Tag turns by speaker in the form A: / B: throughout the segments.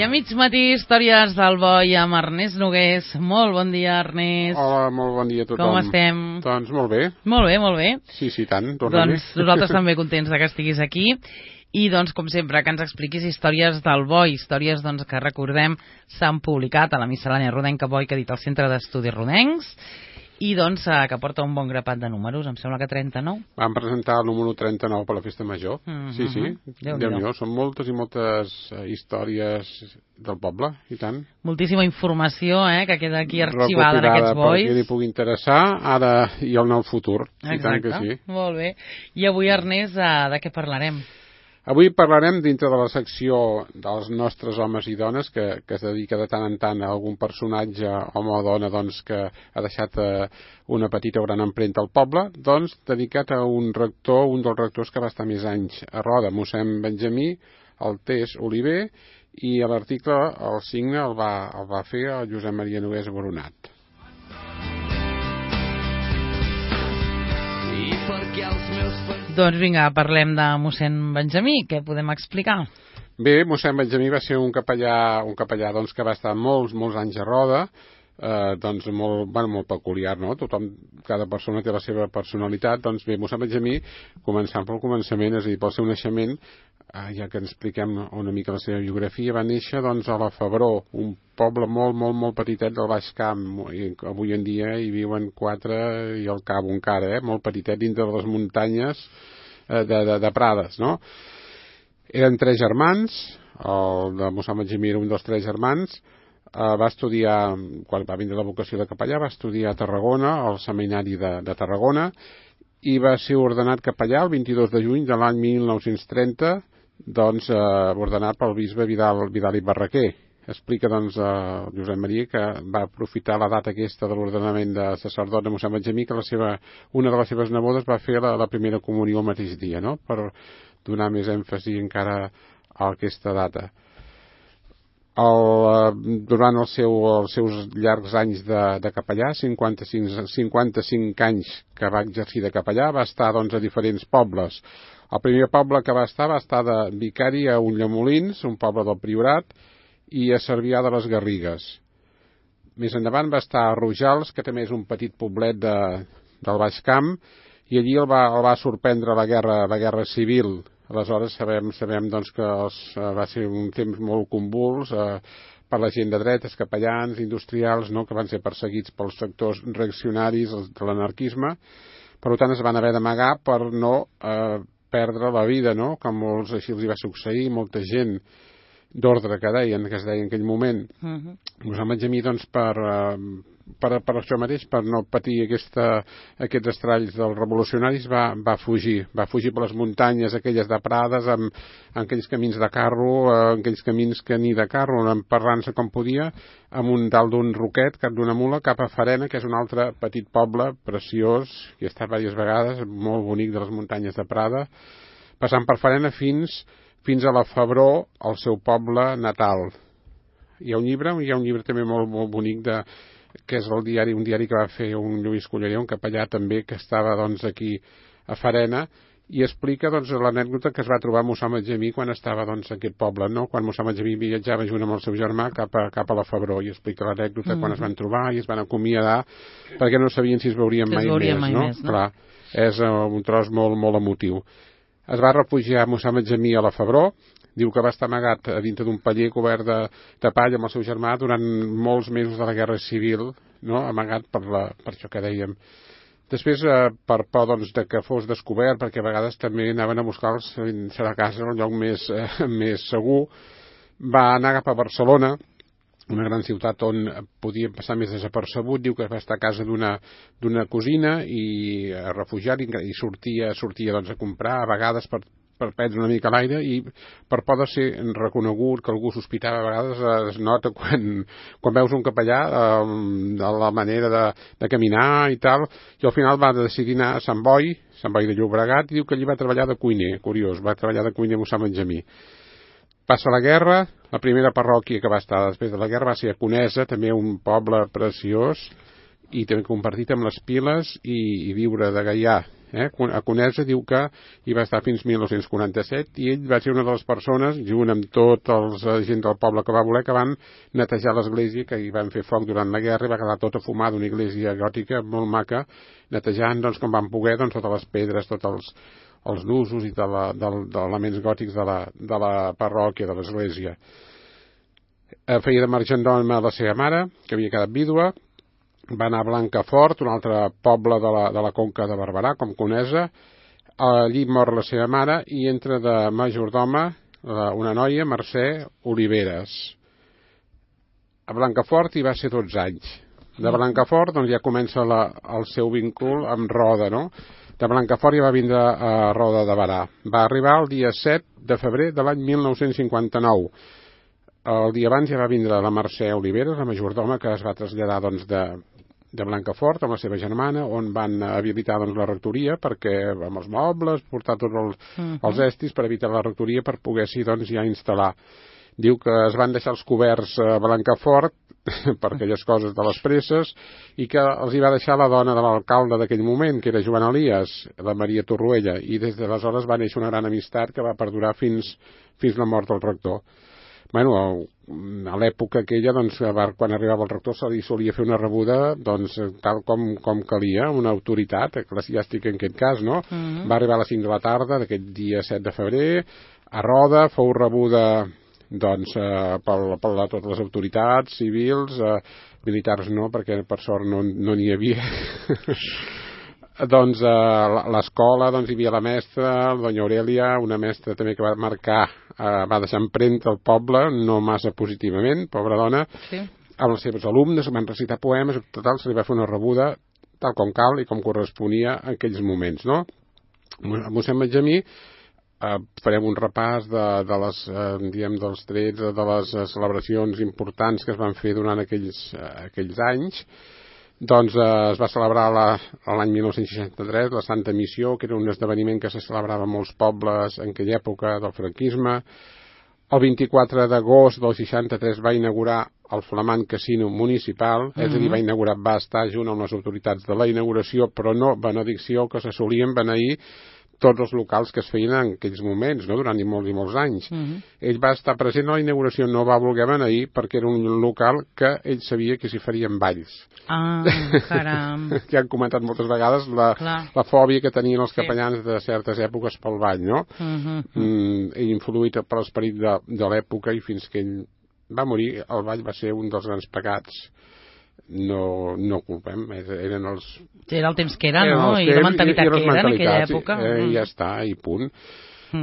A: mig matí, històries del boi amb Ernest Nogués. Molt bon dia, Ernest.
B: Hola, molt bon dia a tothom.
A: Com estem?
B: Doncs molt bé.
A: Molt bé, molt bé.
B: Sí, tant, torna-hi.
A: Doncs nosaltres també contents que estiguis aquí. I doncs, com sempre, que ens expliquis històries del boi, històries doncs, que recordem s'han publicat a la miscel·lània rodenca boi que ha dit el Centre d'Estudis Rodencs i doncs que porta un bon grapat de números, em sembla que 39.
B: Vam presentar el número 39 per la Festa Major. Sí. Déu-n'hi-do. Són moltes i moltes històries del poble, i tant.
A: Moltíssima informació que queda aquí arxivada en aquests bois.
B: Per qui li pugui interessar, ara i en el futur.
A: Exacte.
B: I tant que sí.
A: Molt bé. I avui, Ernest, de què parlarem?
B: Avui parlarem dintre de la secció dels nostres homes i dones que es dedica de tant en tant a algun personatge, home o dona, doncs, que ha deixat una petita o gran empremta al poble, doncs dedicat a un rector, un dels rectors que va estar més anys a Roda, mossèn Benjamí, el Teix Oliver, i l'article, el signe, el va fer el Josep Maria Nogués Boronat.
A: Doncs vinga, parlem de mossèn Benjamí. Què podem explicar?
B: Bé, mossèn Benjamí va ser un capellà doncs, que va estar molts anys a Roda, doncs molt peculiar, no? Cada persona té la seva personalitat. Doncs bé, mossèn Benjamí, començant pel començament, és a dir, pel seu naixement, ja que ens expliquem una mica la seva biografia, va néixer doncs, a la Febró, un poble molt petitet del Baix Camp, i avui en dia hi viuen 4 i al Cabo encara, molt petitet dintre de les muntanyes de Prades, no? Eren 3 germans, el de mossèn Benjamí era un dels 3 germans, va estudiar, quan va vindre la vocació de capellà, va estudiar a Tarragona, al seminari de Tarragona, i va ser ordenat capellà el 22 de juny de l'any 1930, doncs ordenat pel bisbe Vidal i Barraquer. Explica doncs Josep Maria que va aprofitar la data aquesta de l'ordenament de sacerdot de mossèn Benjamí, que una de les seves nebodes va fer la primera comunió el mateix dia, no? Per donar més èmfasi encara a aquesta data. Durant els seus llargs anys de capellà, 55 anys que va exercir de capellà, va estar doncs, a diferents pobles. El primer poble que va estar de vicari a Ulldemolins, un poble del Priorat, i a Cervià de les Garrigues. Més endavant va estar a Rojals, que també és un petit poblet del Baix Camp, i allí el va sorprendre la guerra civil. Aleshores sabem doncs, que va ser un temps molt convuls per la gent de dretes, capellans, industrials, no?, que van ser perseguits pels sectors reaccionaris de l'anarquisme. Per tant, es van haver d'amagar per no perdre la vida, no?, que molts així els hi va succeir, molta gent d'ordre que es deia en aquell moment. Mossèn Benjamí, doncs, per això mateix, per no patir aquests estralls dels revolucionaris, va fugir per les muntanyes aquelles de Prades, amb aquells camins de carro, aquells camins que ni de carro, emparrant-se com podia, dalt d'un roquet, cap d'una mula, cap a Farena, que és un altre petit poble preciós, que he estat diverses vegades, molt bonic, de les muntanyes de Prada, passant per Farena fins a la Febró, el seu poble natal. Hi ha un llibre també molt bonic que és un diari que va fer un Lluís Collerer, un capellà també que estava doncs, aquí a Farena, i explica doncs, l'anècdota que es va trobar mossèn Benjamí quan estava doncs, a aquest poble, no? Quan mossèn Benjamí viatjava junt amb el seu germà cap a la Febró, i explica l'anècdota quan es van trobar i es van acomiadar perquè no sabien si es veurien mai més, no? Clar, és un tros molt emotiu. Es va refugiar mossèn Benjamí a la Febró, diu que va estar amagat a dintre d'un paller cobert de palla amb el seu germà durant molts mesos de la Guerra Civil, no?, amagat per això que dèiem. Després, per por doncs, que fos descobert, perquè a vegades també anaven a buscar a casa el lloc més segur, va anar cap a Barcelona, una gran ciutat on podia passar més desapercebut. Diu que va estar a casa d'una cosina i refugiat, i sortia doncs, a comprar, a vegades per prendre una mica l'aire, i per por de ser reconegut, que algú sospitava. A vegades es nota quan veus un capellà de la manera de caminar i tal, i al final va decidir anar a Sant Boi de Llobregat, i diu que allí va treballar de cuiner, curiós, va treballar de cuiner a mossèn Benjamí. Passa la guerra, la primera parròquia que va estar després de la guerra va ser a Conesa, també un poble preciós, i també compartit amb les Piles, i viure de gaià A Conesa diu que hi va estar fins 1947 i ell va ser una de les persones, junt amb tots els gent del poble que va voler, que van netejar l'església, que hi van fer foc durant la guerra i va quedar tota fumada, una església gòtica molt maca, netejant doncs, com van poder totes les pedres, tots els nusos i d'elements gòtics de la parròquia, de l'església. Feia de margendoma la seva mare, que havia quedat vídua, va anar a Blancafort, un altre poble de la Conca de Barberà, com Conesa. Allí mor la seva mare i entra de majordoma una noia, Mercè Oliveres. A Blancafort hi va ser 12 anys. De Blancafort doncs, ja comença el seu vincul amb Roda, no? De Blancafort ja va vindre a Roda de Barà. Va arribar el dia 7 de febrer de l'any 1959. El dia abans ja va vindre la Mercè Oliveres, la majordoma, que es va traslladar doncs, de Blancafort amb la seva germana, on van habilitar doncs, la rectoria perquè amb els mobles, portar tots els estris per evitar la rectoria per poder-s'hi doncs, ja instal·lar. Diu que es van deixar els coberts a Blancafort per aquelles coses de les presses i que els hi va deixar la dona de l'alcalde d'aquell moment, que era Joan Elias, la Maria Torroella, i des d'aleshores va néixer una gran amistat que va perdurar fins la mort del rector. Bueno, a l'època aquella, doncs, quan arribava el rector se li solia fer una rebuda doncs, tal com calia, una autoritat eclesiàstica en aquest cas, no? Va arribar a les 5 de la tarda d'aquest dia 7 de febrer a Roda, fou rebuda doncs, per totes les autoritats civils, militars no, perquè per sort no n'hi havia. Doncs l'escola doncs, hi havia la mestra, la doña Aurelia, una mestra també que va marcar, va deixar empremta al poble, no massa positivament, pobra dona, sí. Amb els seus alumnes, van recitar poemes, total, se li va fer una rebuda tal com cal i com corresponia en aquells moments, no? A mossèn Benjamí farem un repàs dels trets, de les celebracions importants que es van fer durant aquells anys. Doncs es va celebrar l'any 1963 la Santa Missió, que era un esdeveniment que se celebrava a molts pobles en aquella època del franquisme. El 24 d'agost del 63 va inaugurar el flamant casino municipal, és a dir, va estar junt amb les autoritats de la inauguració, però no benedicció, que se solien beneir tots els locals que es feien en aquells moments, no? Durant molts i molts anys. Ell va estar present a la inauguració, no va voler beneir perquè era un local que ell sabia que s'hi farien balls.
A: Ah, caram.
B: Que han comentat moltes vegades la fòbia que tenien els capellans de certes èpoques pel ball, no? Influït per l'esperit de l'època i fins que ell va morir, el ball va ser un dels grans pecats. No culpem, eren els...
A: Era el temps que era, no? I la mentalitat que era en aquella època.
B: I ja està, i punt.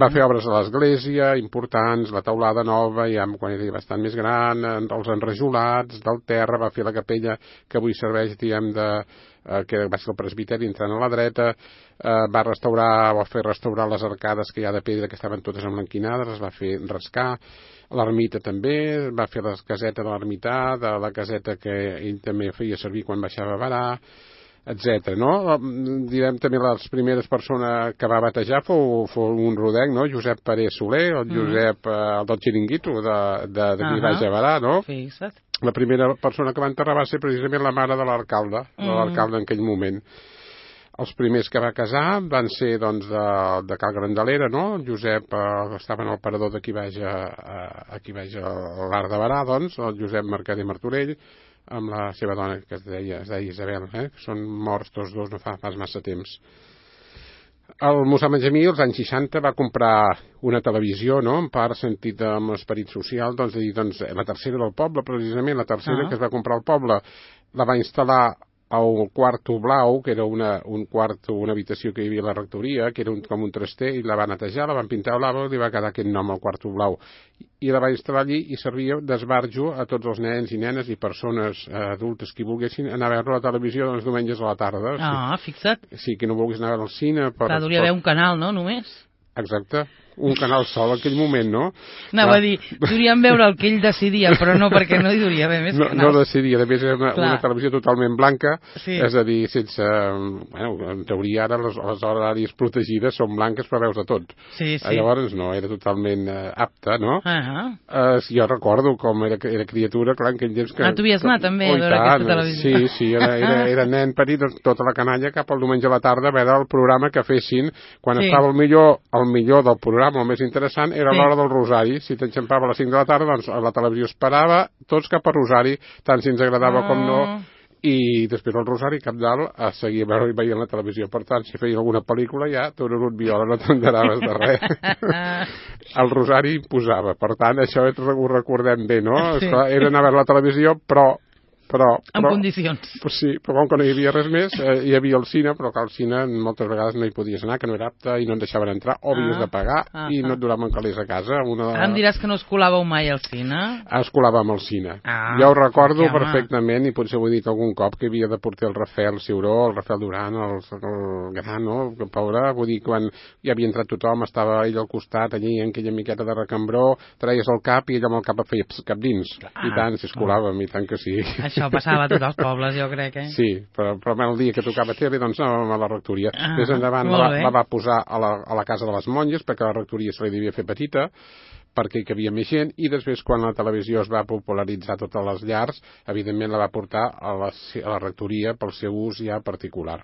B: Va fer obres a l'església, importants, la teulada nova, ja quan era bastant més gran, els enrajolats del terra, va fer la capella que avui serveix, diguem, que va ser el presbiteri entrant a la dreta, va fer restaurar les arcades que hi ha de pedra que estaven totes emblanquinades, les va fer rascar, l'ermita també, va fer la caseta de l'ermità, de la caseta que ell també feia servir quan baixava a Barà, etc. No? Direm també les primeres persones que va batejar fou un rodenc, no? Josep Parés Soler, el Josep el del Xiringuito d'aquí baix a Barà, no?
A: Fixa't.
B: La primera persona que va enterrar va ser precisament la mare de l'alcalde, en aquell moment. Els primers que va casar van ser doncs, de Cal Grandalera, no? El Josep estava en el parador d'aquí baix a l'Arc de Barà, doncs, el Josep Mercader Martorell, amb la seva dona, que es deia Isabel, que són morts tots dos no fa massa temps. El mossèn Benjamí, als anys 60, va comprar una televisió, no?, en part sentit amb l'esperit social, doncs, la tercera del poble, precisament, la tercera que es va comprar al poble, la va instal·lar al quarto blau, que era una habitació que hi havia a la rectoria, que era com un traster, i la va netejar, la van pintar blava, i li va quedar aquest nom al quarto blau. I la va instal·lar allí i servia d'esbarjo a tots els nens i nenes i persones adultes que volguessin anar a veure la televisió els diumenges a la tarda.
A: Fixa't.
B: Sí, que no volgués anar al cine.
A: Hauria d'haver un canal, no?, només.
B: Exacte. un canal sol en aquell moment, no?
A: Anava a dir, podríem veure el que ell decidia, però no, perquè no hi duria haver més canals.
B: No decidia, a més era una televisió totalment blanca, és a dir, sense... Bueno, en teoria ara les horaris protegides són blanques però veus de tot.
A: Sí.
B: Llavors no, era totalment apta, no? Jo recordo com era criatura, clar, en aquell temps que...
A: Tu havies anat també a veure aquesta televisió.
B: Sí, era nen petit, tota la canalla cap al diumenge a la tarda a veure el programa que fessin quan estava el millor del programa, el més interessant, era l'hora del Rosari. Si t'enxampava a les 5 de la tarda, doncs la televisió esperava tots cap a Rosari, tant si ens agradava com no, i després el Rosari cap dalt a seguir veient la televisió. Per tant, si feien alguna pel·lícula ja, Tururut Viola, no t'enteraves de res. El Rosari imposava. Per tant, això ho recordem bé, no? Esclar, era anar a veure la televisió, però
A: en condicions.
B: Sí, però com que no hi havia res més, hi havia el cine, però que al cine moltes vegades no hi podies anar, que no era apte i no et deixaven entrar, o havies de pagar i no et duraven calés a casa.
A: Em diràs que no es colàveu mai al cine?
B: Es colàvem al cine. Jo ho recordo perfectament, i potser ho he dit algun cop, que havia de portar el Rafael Ciuró, el Rafael Duran, el Gran, no? Que pobre, vull dir, quan hi havia entrat tothom, estava ell al costat, allí, en aquella miqueta de recambró, traies el cap i ell amb el cap feia cap dins. I tant, si es colàvem, i tant que sí.
A: Això passava a tots els pobles, jo crec,
B: Sí, però el dia que tocava tele, doncs anàvem a la rectoria. Més endavant la va posar a la casa de les monges, perquè la rectoria se li devia fer petita, perquè hi havia més gent, i després, quan la televisió es va popularitzar a totes les llars, evidentment la va portar a la rectoria pel seu ús ja particular.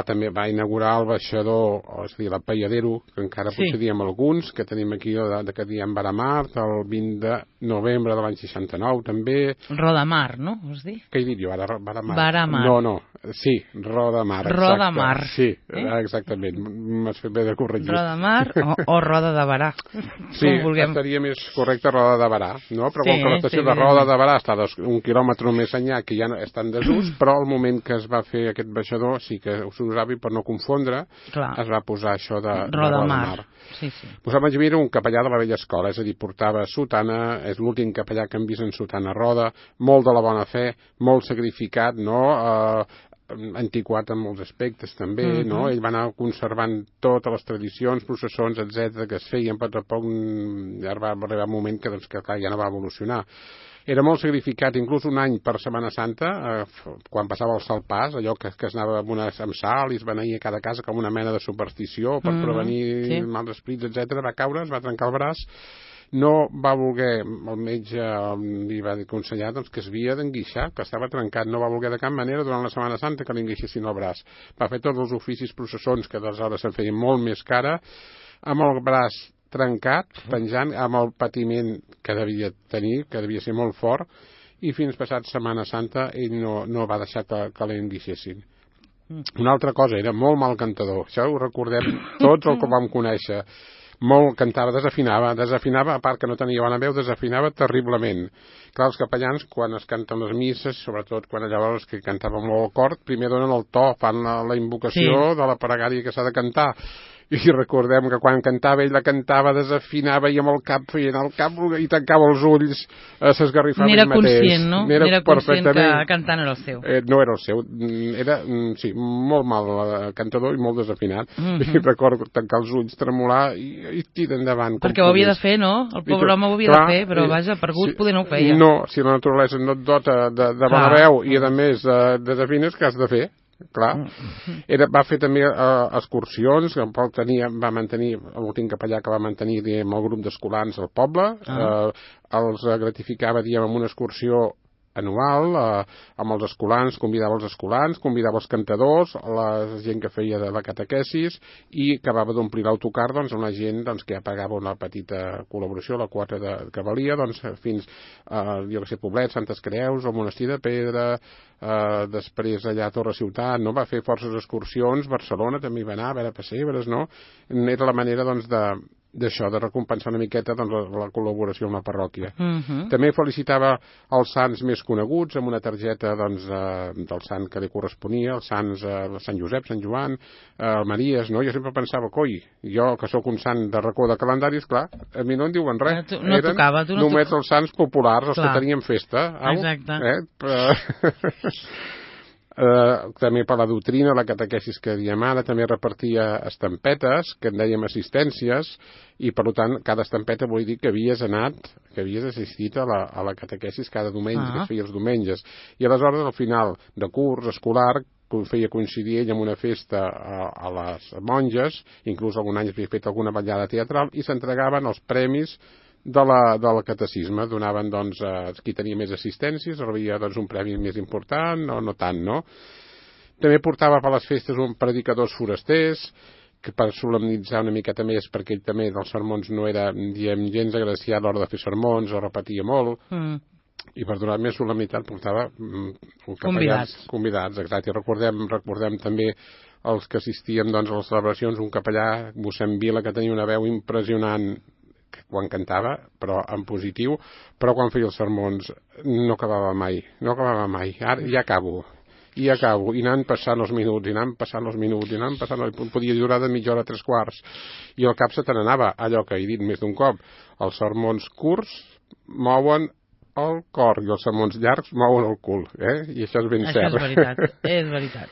B: També va inaugurar el baixador, és a dir, l'Apaiadero, que encara potser diem alguns, que tenim aquí, que diem Varamar, el 20 de novembre de l'any 69, també.
A: Rodamar, no? Vols dir?
B: Què he dit jo ara? Varamar.
A: Varamar.
B: No, sí, Rodamar.
A: Rodamar.
B: Sí, exactament, m'has fet bé de corregir.
A: Rodamar o Roda de Barà.
B: Sí, estaria més correcte Roda de Barà, no? Però com que l'estació de Roda de Barà està un quilòmetre més enllà, que ja està en desús, però al moment que es va fer aquest baixador, sí que s'usava, i per no confondre, es va posar això de Rodamar.
A: Sí.
B: Posava era un capellà de la vella escola, és a dir, portava sotana, és l'últim capellà que hem vist en sotana roda, molt de la bona fe, molt sacrificat, no? Antiquat en molts aspectes també, no? Ell va anar conservant totes les tradicions, processons, etc que es feien, però tampoc ja va arribar un moment que ja no va evolucionar. Era molt sacrificat, inclús un any per Setmana Santa, quan passava el Salpàs, allò que es anava amb sal i es beneïa a cada casa com una mena de superstició per prevenir mals esprits, etc. Va caure, es va trencar el braç, no va voler, el metge li va aconsellar que es havia d'enguixar, que estava trencat, no va voler de cap manera durant la Setmana Santa que li enguixessin el braç. Va fer tots els oficis processons, que d'aleshores se'n feien molt més cara, amb el braç trencat, penjant, amb el patiment que devia tenir, que devia ser molt fort, i fins passat Setmana Santa ell no va deixar que l'enguixessin. Una altra cosa, era molt mal cantador, això ho recordem tots el que vam conèixer. Molt cantava, desafinava, a part que no tenia bona veu, desafinava terriblement. Clar, els capellans, quan es canten les misses, sobretot quan llavors que cantaven molt el cor, primer donen el to, fan la invocació de la pregària que s'ha de cantar. I recordem que quan cantava, ell la cantava, desafinava i amb el cap feien el cap i tancava els ulls, s'esgarrifava ell mateix.
A: N'era conscient, no? N'era conscient que cantar no era el seu.
B: No era el seu. Era, sí, molt mal cantador i molt desafinat. I recordo tancar els ulls, tremolar i tirar endavant.
A: Perquè ho havia de fer, no? El pobre home ho havia de fer, però vaja, per gust poder no ho feia.
B: No, si la naturalesa no et dota de bona veu i a més desafines, què has de fer? Clar, va fer també excursions, va mantenir l'últim capellà que va mantenir el grup d'escolans al poble, els gratificava amb una excursió anual amb els escolans, convidava els cantadors, la gent que feia de la catequesis, i acabava d'omplir l'autocar amb la gent que ja pagava una petita col·laboració, la quota que valia, fins jo que sé, Poblet, Santes Creus, el Monestir de Pedra, després allà a Torre Ciutat, no? Va fer forces excursions, Barcelona també hi va anar, a veure pessebres, no? Era la manera d'això, de recompensar una miqueta la col·laboració amb la parròquia. També felicitava els sants més coneguts amb una targeta del sant que li corresponia, els sants Sant Josep, Sant Joan, el Maries, no? Jo sempre pensava, coi, jo que sóc un sant de racó de calendaris, clar, a mi no en diuen res.
A: No tocava, tu no
B: només els sants populars, els que tenien festa.
A: Exacte.
B: també per la doctrina, la catequesis que diem ara, també repartia estampetes, que en dèiem assistències, i per tant cada estampeta vol dir que havies assistit a la catequesis cada diumenge, que es feia els diumenges. I aleshores, al final de curs escolar, feia coincidir ell amb una festa a les monges, inclús algun any havia fet alguna ballada teatral, i s'entregaven els premis del catecisme. Donaven, doncs, qui tenia més assistències, rebia doncs, un premi més important, o no tant, no? També portava per les festes un predicadors forasters, que per solemnitzar una miqueta més, perquè ell també dels sermons no era, diem, gens agraciat a l'hora de fer sermons, o repetia molt, i per donar més solemnitat portava convidats, exacte. I recordem també els que assistíem, doncs, a les celebracions, un capellà, mossèn Vila, que tenia una veu impressionant quan cantava, però en positiu, però quan feia els sermons no acabava mai. Ara ja acabo, i anant passant els minuts, podia durar de mitja hora, 3/4, i al cap se te n'anava, allò que he dit més d'un cop, els sermons curts mouen el cor i els sermons llargs mouen el cul, i això és ben cert.
A: Això és veritat.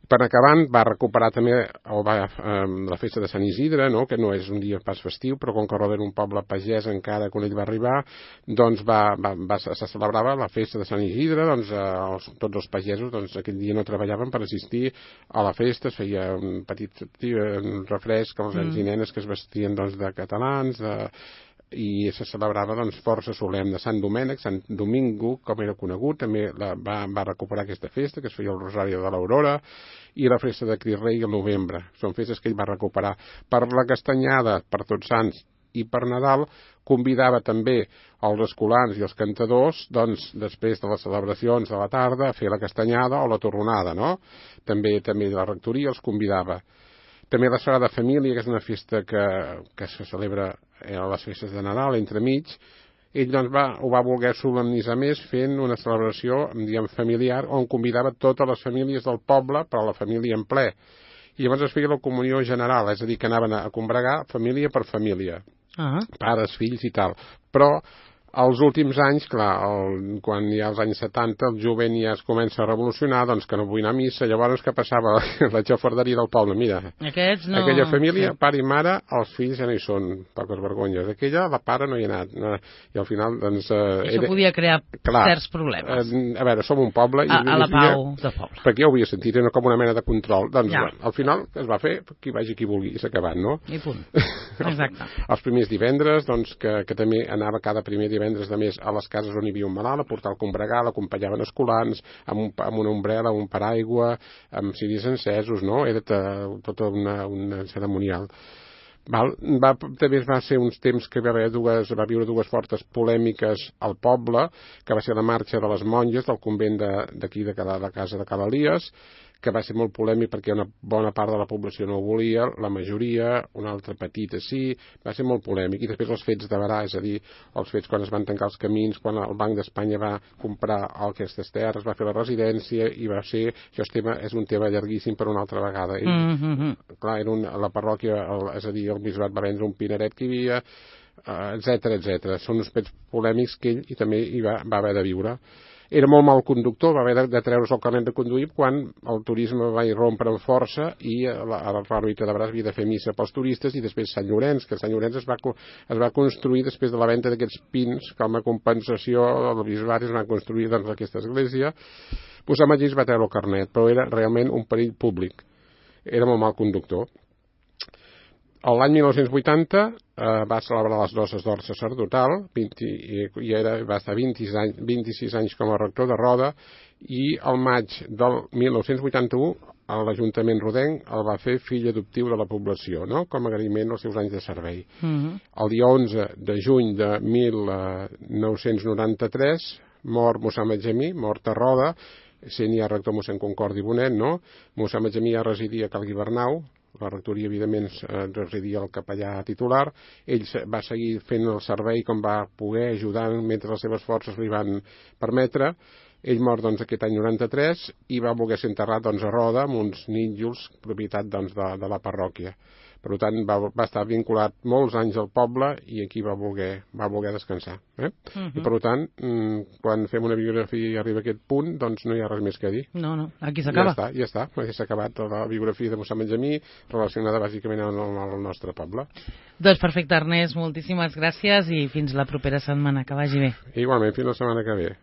B: Per acabant, va recuperar també la festa de Sant Isidre, no? Que no és un dia pas festiu, però com que Roda era un poble pagès encara quan ell va arribar, doncs se celebrava la festa de Sant Isidre, doncs tots els pagesos doncs, aquell dia no treballaven per assistir a la festa, es feia un petit refresc als nens i nenes que es vestien doncs, de catalans, i se celebrava doncs, força solemne. Sant Domènec, Sant Domingo, com era conegut, també va recuperar aquesta festa, que es feia el Rosari de l'Aurora, i la festa de Crist Rei al novembre. Són festes que ell va recuperar. Per la Castanyada, per Tots Sants i per Nadal, convidava també els escolans i els cantadors, doncs, després de les celebracions de la tarda, a fer la Castanyada o la Torronada, no? També la rectoria els convidava. També la Sagrada Família, que és una festa que se celebra a les festes de Nadal, entremig, ell doncs, ho va voler solemnitzar més fent una celebració, diguem, familiar, on convidava totes les famílies del poble, però la família en ple. I llavors es feia la comunió general, és a dir, que anaven a combregar família per família, pares, fills i tal. Però els últims anys, clar, quan hi ha els anys 70, el jovent ja es comença a revolucionar, doncs que no vull anar a missa, llavors què passava? La xafarderia del poble, mira, aquella família, pare i mare, els fills ja no hi són, poques vergonyes, aquella, la pare no hi ha anat, i al final, doncs...
A: Això podia crear certs problemes.
B: A veure, som un poble...
A: A la pau del poble.
B: Perquè ja ho havia sentit, era com una mena de control, doncs, al final, es va fer, qui vagi qui vulgui, i s'ha acabat, no?
A: I punt. Exacte.
B: Els primers divendres, doncs, que també anava cada primer divendres de mes a les cases on hi havia un malalt, a portar el combregar, l'acompanyaven escolans, amb una ombrela, un paraigua, amb ciris encesos, no? Era tota una cerimonial. També va ser uns temps que va viure dues fortes polèmiques al poble, que va ser la marxa de les monges del convent d'aquí de la casa de Cal Elies, que va ser molt polèmic perquè una bona part de la població no ho volia, la majoria, una altra petita sí, va ser molt polèmic. I després els fets de Berà, és a dir, els fets quan es van tancar els camins, quan el Banc d'Espanya va comprar aquestes terres, va fer la residència, i va ser... Això és un tema llarguíssim per una altra vegada. Clar, era la parròquia, és a dir, el bisbat va vendre un pineret que hi havia, etcètera. Són uns fets polèmics que ell també hi va haver de viure. Era molt mal conductor, va haver de treure's el carnet de conduir quan el turisme va irrompre amb força i l'òrbita de Berà havia de fer missa pels turistes, i després Sant Llorenç, que Sant Llorenç es va construir després de la venda d'aquests pins, com a compensació del bisbat es va construir doncs, aquesta església. Sant Magí es va treure el carnet, però era realment un perill públic. Era molt mal conductor. L'any 1980 va celebrar les noces d'or sacerdotal i va estar 26 anys com a rector de Roda, i al maig del 1981 l'Ajuntament rodenc el va fer fill adoptiu de la població, no? Com a agraïment als seus anys de servei. El dia 11 de juny de 1993 mor mossèn Benjamí, mort a Roda, sent ja rector mossèn Concordi Bonet, no? Mossèn Benjamí ja residia a Cal Guibernau, la rectoria, evidentment, residia el capellà titular. Ell va seguir fent el servei com va poder, ajudant mentre les seves forces li van permetre. Ell mor doncs, aquest any 93 i va voler ser enterrat doncs, a Roda amb uns nínxols, propietat doncs, de la parròquia. Per tant, va estar vinculat molts anys al poble i aquí va voler descansar. I per tant, quan fem una biografia i arriba a aquest punt, doncs no hi ha res més que dir.
A: No, aquí s'acaba.
B: Ja està. S'ha acabat la biografia de mossèn Benjamí, relacionada bàsicament amb el nostre poble.
A: Doncs perfecte, Ernest, moltíssimes gràcies i fins la propera setmana. Que vagi bé.
B: Igualment, fins la setmana que ve.